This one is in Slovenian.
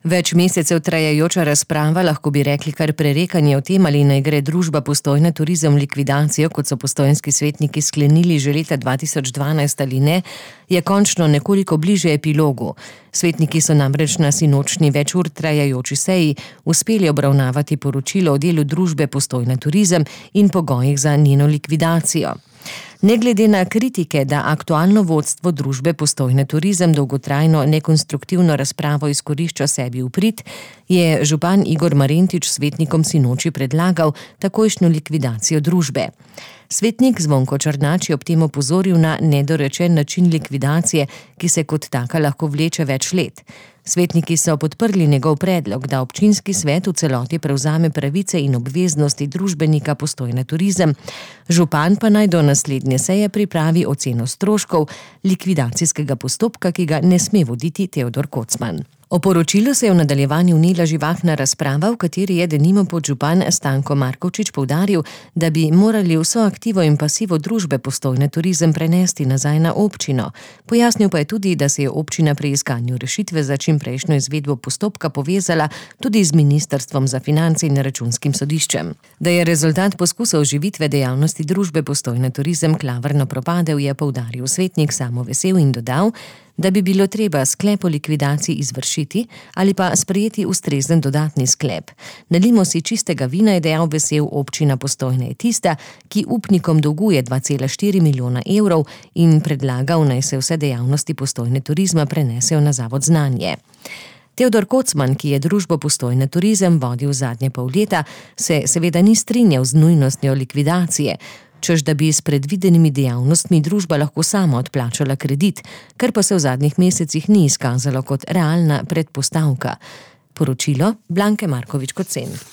Več mesecev trajajoča razprava, lahko bi rekli kar prerekanje o tem, ali naj gre družba Postojna turizem v likvidacijo, kot so postojnski svetniki sklenili že leta 2012 ali ne, je končno nekoliko bliže epilogu. Svetniki so namreč na sinočnji več ur trajajoči seji uspeli obravnavati poročilo o delu družbe Postojna turizem in pogojih za njeno likvidacijo. Ne glede na kritike, da aktualno vodstvo družbe Postojna turizem dolgotrajno nekonstruktivno razpravo izkorišča sebi v prid, je župan Igor Marentič svetnikom sinoči predlagal takojšnjo likvidacijo družbe. Svetnik Zvonko Črnač je ob tem opozoril na nedorečen način likvidacije, ki se kot taka lahko vleče več let. Svetniki so podprli njegov predlog, da občinski svet v celoti prevzame pravice in obveznosti družbenika Postojna turizem, župan pa naj do naslednje seje pripravi oceno stroškov likvidacijskega postopka, ki ga ne sme voditi Teodor Kocman. O poročilu se je v nadaljevanju vnela živahna razprava, v kateri je denimo podžupan Stanko Markovčič poudaril, da bi morali vso aktivo in pasivo družbe Postojna turizem prenesti nazaj na občino. Pojasnil pa je tudi, da se je občina pri iskanju rešitve za čimprejšnjo izvedbo postopka povezala tudi z Ministrstvom za finance in Računskim sodiščem. Da je rezultat poskusa oživitve dejavnosti družbe Postojna turizem klavrno propadel, je poudaril svetnik Samo Vesel in dodal, da bi bilo treba sklep o likvidaciji izvršiti ali pa sprejeti ustrezen dodatni sklep. Nalimo si čistega vina, je dejal Vesel, občina Postojna je tista, ki upnikom dolguje 2,4 milijona evrov in predlagal, naj se vse dejavnosti Postojne turizma prenesejo na Zavod Znanje. Teodor Kocman, ki je družbo Postojna turizem vodil zadnje pol leta, se seveda ni strinjal z nujnostjo likvidacije, češ da bi s predvidenimi dejavnostmi družba lahko sama odplačala kredit, kar pa se v zadnjih mesecih ni izkazalo kot realna predpostavka. Poročilo Blanke Markovič Kocen.